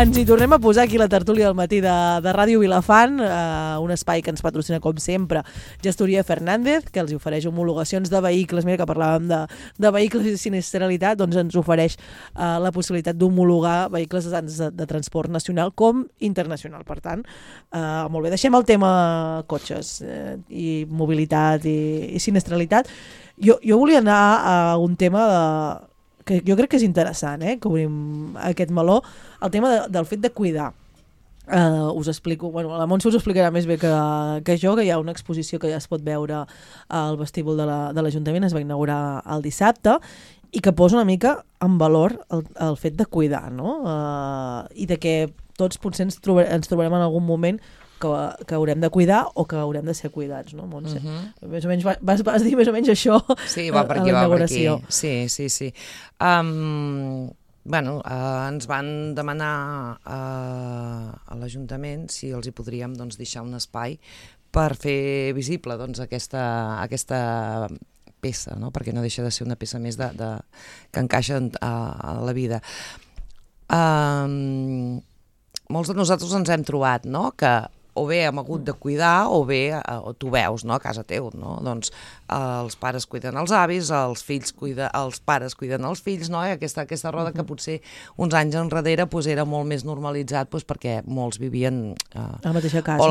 Ens hi tornem a posar aquí la tertúlia del matí de Ràdio Vilafant, un espai que ens patrocina com sempre Gestoria Fernández, que els ofereix homologacions de vehicles. Mira que parlàvem de vehicles i sinistralitat, doncs ens ofereix la possibilitat d'homologar vehicles de transport nacional com internacional. Per tant, molt bé, deixem el tema cotxes i mobilitat i sinistralitat. Jo volia anar a un tema que jo crec que és interessant, que obrim aquest meló, el tema del fet de cuidar. Us explico, bueno, la Montse us explicarà més bé que jo, que hi ha una exposició que ja es pot veure al vestíbul de l'Ajuntament, es va inaugurar el dissabte, i que posa una mica en valor el fet de cuidar, no? I de que tots potser ens trobarem en algun moment que haurem de cuidar o que haurem de ser cuidats, no, Montse? Més o menys vas dir més o menys això va per aquí, a la inauguració. Sí. Ens van demanar a l'Ajuntament si els hi podríem deixar un espai per fer visible aquesta peça, no? Perquè no deixa de ser una peça més que encaixa a la vida. Molts de nosaltres ens hem trobat, no?, que o bé hem hagut de cuidar o bé tu veus, no?, a casa teu, no? Doncs els pares cuiden els avis, els pares cuiden els fills, no? I aquesta roda que potser uns anys enrere era molt més normalitzat perquè molts vivien a la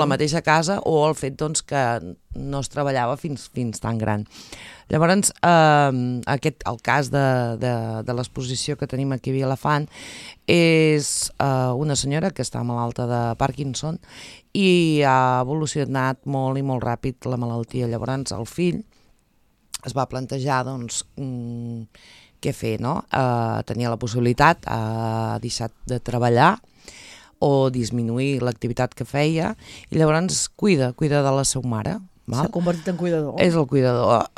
mateixa casa o el fet que no es treballava fins tan gran. Llavors, el cas de l'exposició que tenim aquí a Vilafant és una senyora que està malalta de Parkinson i ha evolucionat molt i molt ràpid la malaltia. Llavors, el fill es va plantejar què fer, no? Tenia la possibilitat, ha deixat de treballar o disminuir l'activitat que feia i llavors cuida de la seva mare. S'ha convertit en cuidador. És el cuidador.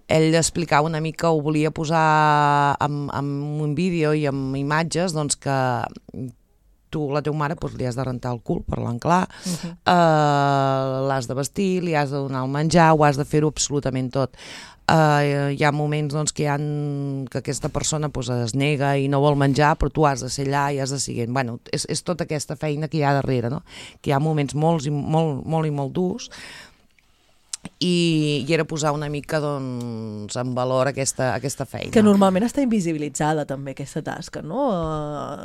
Ell explicava una mica, ho volia posar amb un vídeo i amb imatges, que tu, la teva mare, li has de rentar el cul, parlant clar, l'has de vestir, li has de donar el menjar, ho has de fer-ho absolutament tot. Hi ha moments que aquesta persona es nega i no vol menjar, però tu has de ser allà i has de seguir. És tota aquesta feina que hi ha darrere, no? Que hi ha moments molt durs i era posar una mica en valor aquesta feina. Que normalment està invisibilitzada també aquesta tasca, no?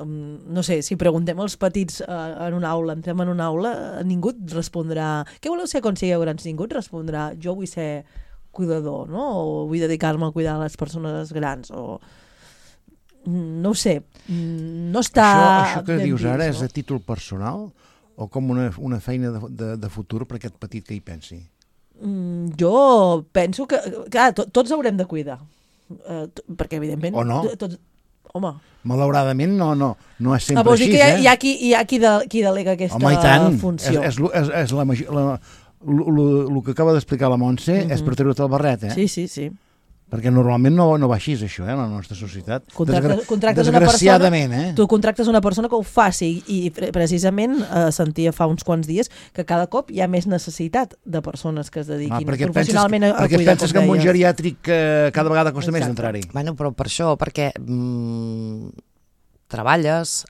No sé, si preguntem als petits en una aula, entrem en una aula, ningú et respondrà què voleu ser quan sigueu grans? Ningú et respondrà jo vull ser cuidador, no? O vull dedicar-me a cuidar les persones grans, o... No ho sé, no està... Això que dius ara és a títol personal o com una feina de futur per aquest petit que hi pensi? Jo penso que, clar, tots haurem de cuidar, perquè evidentment... O no? Home... Malauradament no és sempre vols dir així, que hi ha qui delega aquesta funció. És el que acaba d'explicar la Montse és per treure-te el barret, eh? Sí. Perquè normalment no va així, això, en la nostra societat. Desgraciadament, tu contractes una persona que ho faci i precisament sentia fa uns quants dies que cada cop hi ha més necessitat de persones que es dediquin professionalment a cuidar. Perquè penses que en un geriàtric cada vegada costa més d'entrar-hi. Bueno, però per això, perquè treballes,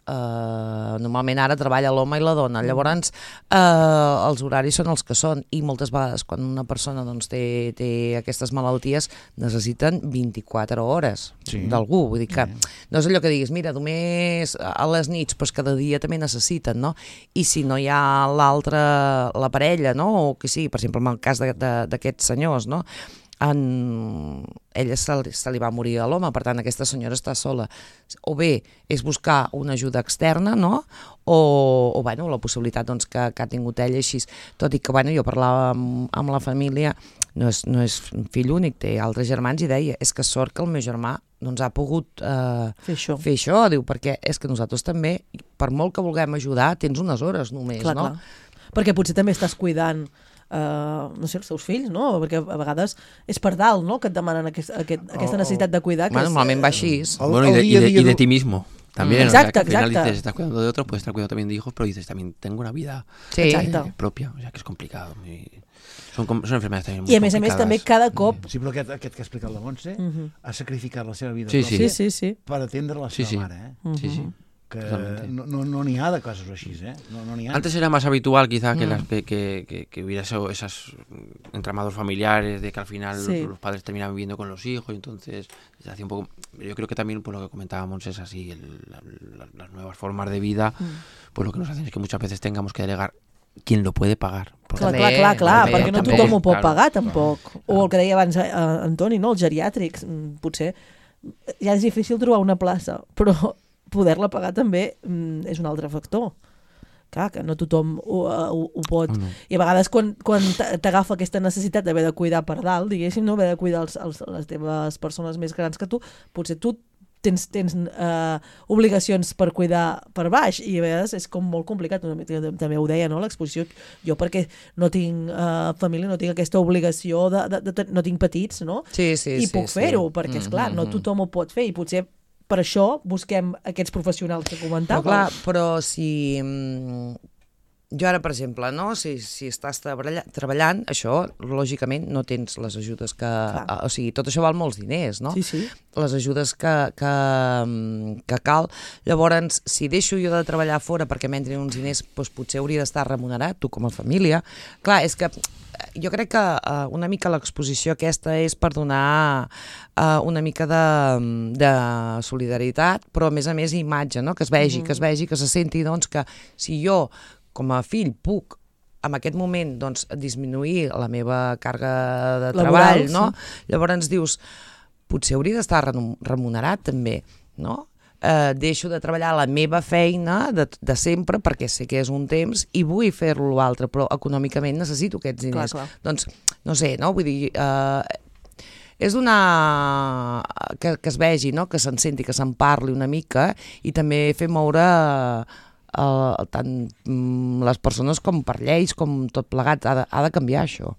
normalment ara treballa l'home i la dona, llavors els horaris són els que són i moltes vegades quan una persona doncs, té aquestes malalties necessiten 24 hores d'algú, vull dir que no és allò que diguis, mira, només a les nits, però cada dia també necessiten, no? I si no hi ha la parella, no? O que sí, per exemple, en el cas d'aquests senyors, no? Ella se li va morir a l'home, per tant aquesta senyora està sola. O bé és buscar una ajuda externa, no? O bueno, la possibilitat doncs, que ha tingut ella així. Tot i que bueno, jo parlava amb la família, no és fill únic, té altres germans i deia, és que sort que el meu germà doncs, ha pogut fer això, diu, perquè és que nosaltres també, per molt que vulguem ajudar, tens unes hores només, no? Clar. Perquè potser també estàs cuidant no sé, els teus fills, no? Perquè a vegades és per dalt, no?, que et demanen aquesta necessitat de cuidar. Normalment va així. Bueno, y de ti mismo. También, exacto, o sea, que al final dices, estás cuidando de otro, puedes estar cuidando también de hijos, pero dices, también tengo una vida propia, o sea, que es complicado. Son enfermedades también muy complicadas. I a més també cada cop... Sí, però aquest que ha explicat la Montse ha sacrificat la seva vida sí. per atendre la seva mare, eh? Sí. Que no n'hi ha de casos així, ¿eh? No n'hi ha. Antes era más habitual quizá que hubiera esos entramados familiares de que al final los padres terminaban viviendo con los hijos y entonces se hacía un poco... Yo creo que también por lo que comentábamos es así, las nuevas formas de vida, pues lo que nos hacen es que muchas veces tengamos que delegar quien lo puede pagar. Clar, perquè no tothom ho pot pagar tampoc. O el que deia abans Antoni, no? Els geriàtrics, potser ja és difícil trobar una plaça, però poder-la pagar també és un altre factor. Clar, que no tothom ho pot. I a vegades quan t'agafa aquesta necessitat d'haver de cuidar per dalt, diguéssim, no haver de cuidar les teves persones més grans que tu, potser tu tens obligacions per cuidar per baix i a vegades és com molt complicat. També ho deia, no?, l'exposició. Jo perquè no tinc família, no tinc aquesta obligació, no tinc petits, no? I puc fer-ho, perquè esclar, no tothom ho pot fer i potser per això busquem aquests professionals que comentàvem. Però si... Jo ara, per exemple, no? Si estàs treballant, això, lògicament, no tens les ajudes que... O sigui, tot això val molts diners, no? Sí. Les ajudes que cal. Llavors, si deixo jo de treballar fora perquè m'entrin uns diners, doncs potser hauria d'estar remunerat, tu com a família. Clar, és que jo crec que una mica l'exposició aquesta és per donar una mica de solidaritat, però a més imatge, no? Que es vegi, que se senti doncs, que si jo com a fill puc en aquest moment doncs, disminuir la meva càrrega de treball, no? Llavors dius, potser hauria d'estar remunerat també, no? Deixo de treballar la meva feina de sempre perquè sé que és un temps i vull fer-lo l'altre, però econòmicament necessito aquests diners. Clar. Doncs, no sé, no? Vull dir, és que es vegi, no? Que se'n senti, que se'n parli una mica i també fer moure tant les persones com per lleis, com tot plegat, ha de canviar això.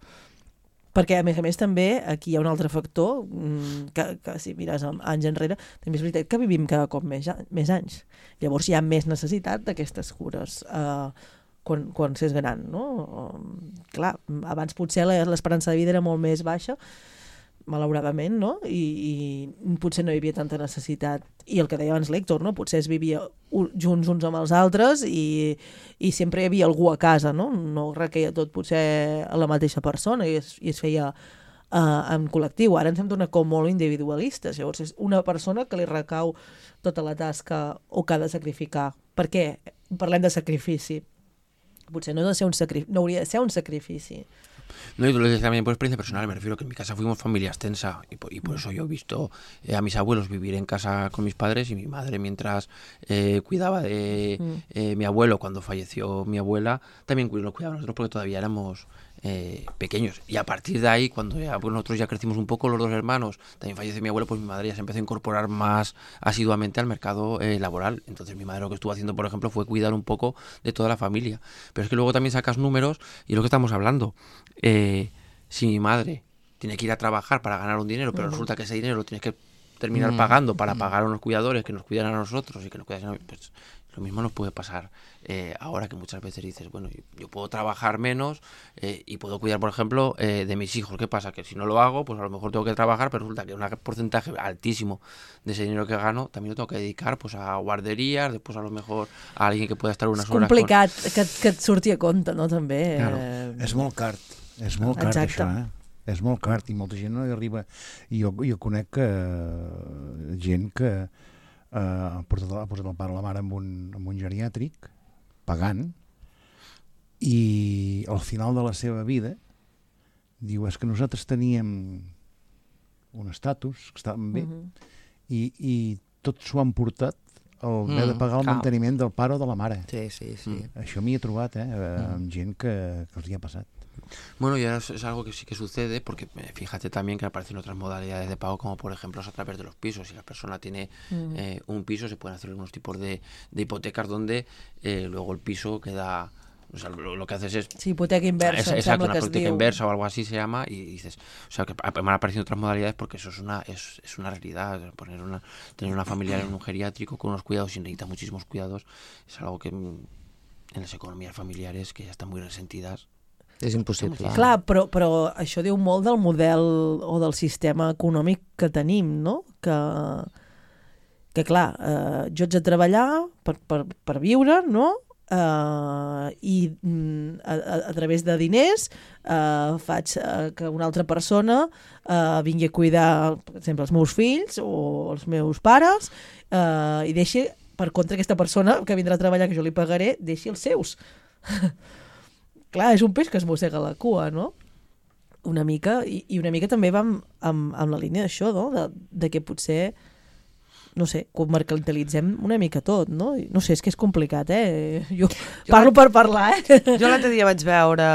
Perquè, a més també, aquí hi ha un altre factor que si mires anys enrere, també és veritat que vivim cada cop més anys. Llavors hi ha més necessitat d'aquestes cures quan s'és gran, no? Clar, abans potser l'esperança de vida era molt més baixa, malauradament, no? I potser no hi havia tanta necessitat. I el que deia abans l'Héctor, no? Potser es vivia junts uns amb els altres i sempre hi havia algú a casa, no? No requeia tot potser a la mateixa persona i es feia en col·lectiu. Ara ens hem donat com molt individualistes. Llavors és una persona que li recau tota la tasca o que ha de sacrificar. Per què? Parlem de sacrifici. Potser no hauria de ser un sacrifici. No, y lo decía también por experiencia personal, me refiero que en mi casa fuimos familia extensa y por eso yo he visto a mis abuelos vivir en casa con mis padres y mi madre mientras cuidaba de mi abuelo cuando falleció mi abuela, también nos cuidaba nosotros porque todavía éramos pequeños. Y a partir de ahí, cuando ya, pues nosotros ya crecimos un poco, los dos hermanos, también falleció mi abuelo, pues mi madre ya se empezó a incorporar más asiduamente al mercado laboral. Entonces mi madre lo que estuvo haciendo, por ejemplo, fue cuidar un poco de toda la familia. Pero es que luego también sacas números y lo que estamos hablando. Si mi madre tiene que ir a trabajar para ganar un dinero, pero resulta que ese dinero lo tienes que terminar pagando para pagar a unos cuidadores que nos cuidan a nosotros y que nos cuidan a nosotros, pues lo mismo nos puede pasar ahora, que muchas veces dices, bueno, yo puedo trabajar menos y puedo cuidar, por ejemplo, de mis hijos. ¿Qué pasa? Que si no lo hago, pues a lo mejor tengo que trabajar, pero resulta que un porcentaje altísimo de ese dinero que gano también lo tengo que dedicar pues a guarderías, después a lo mejor a alguien que pueda estar unas horas... És complicat que et surti a compte, no? També. Claro. És molt car, això, És molt car i molta gent no hi arriba. I jo conec gent que ha posat el pare o la mare en un geriàtric, pagant, i al final de la seva vida diu, és que nosaltres teníem un estatus, que estàvem bé, i tot s'ho han portat el haver de pagar el manteniment del pare o de la mare. Sí. Això m'hi he trobat, amb gent que els hi ha passat. Bueno, ya es algo que sí que sucede, porque fíjate también que aparecen otras modalidades de pago, como por ejemplo a través de los pisos. Si la persona tiene un piso, se pueden hacer unos tipos de hipotecas donde luego el piso queda... O sea, lo que haces es... Sí, hipoteca inversa. Exacto, una hipoteca inversa o algo así se llama, y dices... O sea, que me han aparecido otras modalidades porque eso es una realidad. Tener una familiar en un geriátrico con unos cuidados, y necesita muchísimos cuidados, es algo que en las economías familiares, que ya están muy resentidas, és impossible. Clar, però això diu molt del model o del sistema econòmic que tenim, no? Que clar, jo haig de treballar per viure, no? I a través de diners faig que una altra persona vingui a cuidar, per exemple, els meus fills o els meus pares, i deixi, per contra, aquesta persona que vindrà a treballar, que jo li pagaré, deixi els seus. Clar, és un peix que es mossega la cua, no? Una mica, i una mica també va amb la línia d'això, no? De que potser, no sé, comercialitzem una mica tot, no? No sé, és que és complicat, Jo parlo per parlar, Jo l'altre dia vaig veure,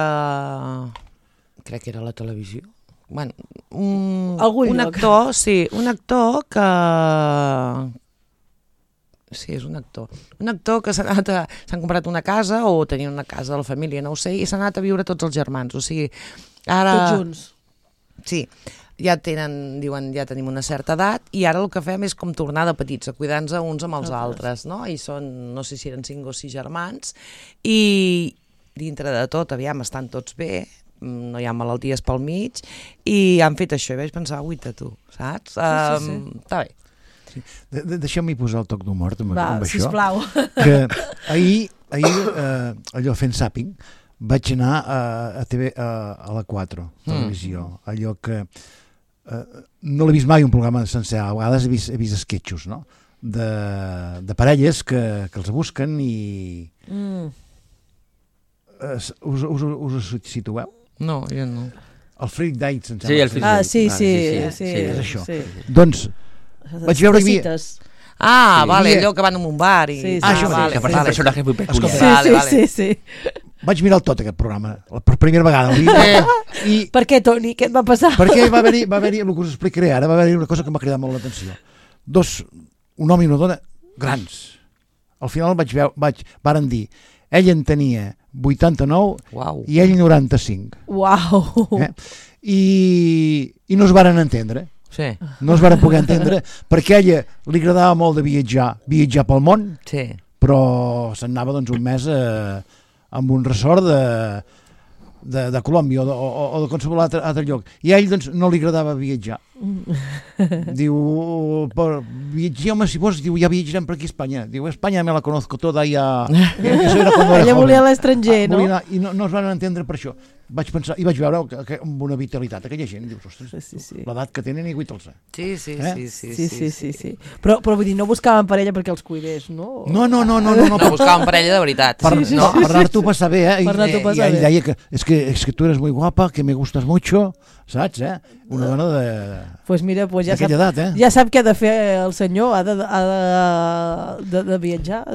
crec que era a la televisió, bueno, un actor, sí, un actor que... Sí, és un actor. Un actor que s'han comprat una casa o tenien una casa de la família, no ho sé, i s'han anat a viure tots els germans. O sigui, ara... Tots junts. Sí, ja diuen, ja tenim una certa edat i ara el que fem és com tornar de petits, a cuidar-nos uns amb els altres, no? I són, no sé si eren 5 o 6 germans, i dintre de tot, aviam, estan tots bé, no hi ha malalties pel mig, i han fet això, i vaig pensar, uita tu, saps? Sí. Està bé. Sí. Deixa'm-hi posar el toc d'humor amb això. Sisplau. Que ahir allò fent zàping, vaig anar a la 4 televisió, allò que no l'he vist mai un programa sencer, a vegades he vist esquetxos, no? De parelles que els busquen i... Us situeu? No, jo no. El Freak Dates, em sembla. Sí, el Freak Dates. Sí. És això. Doncs vaig veure que hi havia... Vale, allò que van a un bar i... Sí. Això vale. que parece personajes muy peculiares. Sí. Vaig mirar tot aquest programa, per primera vegada. I per què, Toni? Què et va passar? Perquè va haver-hi, el que us explicaré ara, va haver-hi una cosa que m'ha cridat molt l'atenció. Un home i una dona grans. Al final varen dir, ell en tenia 89 i ell 95. Uau! I no es varen entendre. Sí. No es varen poder entendre perquè a ella li agradava molt de viatjar pel món, però se'n anava un mes amb un ressort de Colòmbia o de qualsevol altre lloc, i a ell no li agradava viatjar Diu, home, si vols, diu, ja viatjarem per aquí a Espanya. Diu, Espanya me la conozco toda, ja... Ella volia l'estranger, no? I no es van entendre per això. Vaig pensar, i vaig veure amb una vitalitat aquella gent, dius, ostres, l'edat que tenen i guita'ls. Sí. Però vull dir, no buscaven parella perquè els cuidés, no? No buscaven parella de veritat. Per anar-t'ho a passar bé, I ell deia que és que tu eres muy guapa, que me gustas mucho, saps, Una dona pues mira, d'aquella edat, Ja sap què ha de fer el senyor, ha de viatjar,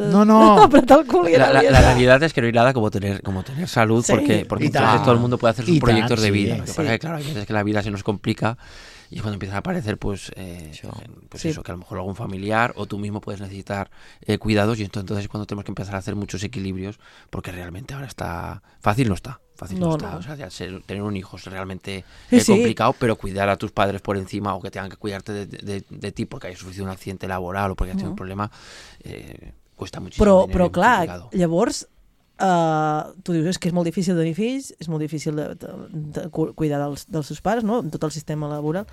apretar el cul. La realidad es que no hay nada como tener salud, porque entonces todo el mundo puede hacer sus proyectos de vida. Lo que pasa es que, claro, hay veces que la vida se nos complica y es cuando empiezan a aparecer, eso, que a lo mejor algún familiar o tú mismo puedes necesitar cuidados, y entonces es cuando tenemos que empezar a hacer muchos equilibrios, porque realmente ahora está... Fácil no está. O sea, tener un hijo es realmente complicado, pero cuidar a tus padres por encima, o que tengan que cuidarte de ti porque hayas sufrido un accidente laboral o porque hayas tenido un problema, cuesta muchísimo. Però clar, llavors tu dius, és que és molt difícil tenir fills, és molt difícil de cuidar dels seus pares, no? En tot el sistema laboral,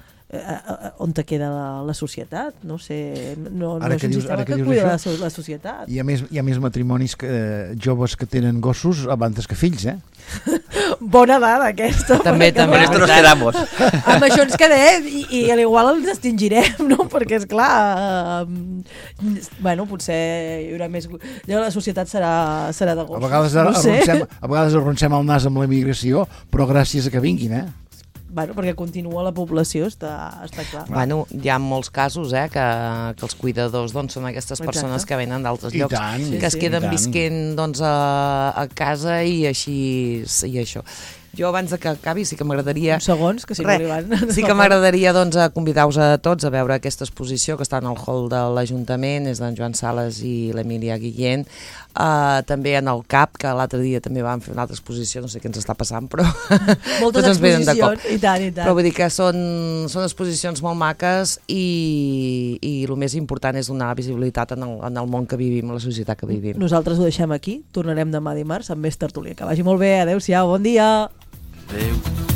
on te queda la societat? No sé, no és un sistema que cuida la societat. Hi ha més matrimonis joves que tenen gossos abans que fills, Bona dada, aquesta. També. Con esto nos quedamos. Amb això ens quedem i a l'igual ens extingirem, no? Perquè, esclar, potser hi haurà més... La societat serà de gossos. A vegades arroncem el nas amb la immigració, però gràcies a que vinguin, perquè continua la població, està clar. Hi ha molts casos que els cuidadors són aquestes persones que venen d'altres llocs, que es queden visquent a casa i així i això. Jo, abans que acabi, sí que m'agradaria... Uns segons, que si no arriben. Sí que m'agradaria convidar-vos a tots a veure aquesta exposició que està en el hall de l'Ajuntament, és d'en Joan Sales i l'Emília Guillén. També en el CAP, que l'altre dia també vam fer una altra exposició, no sé què ens està passant, però... Moltes exposicions, i tant. Però vull dir que són exposicions molt maques i el més important és donar visibilitat en el món que vivim, en la societat que vivim. Nosaltres ho deixem aquí, tornarem demà dimarts amb més tertúlia. Que vagi molt bé, adeu-siau, bon dia! Adeu.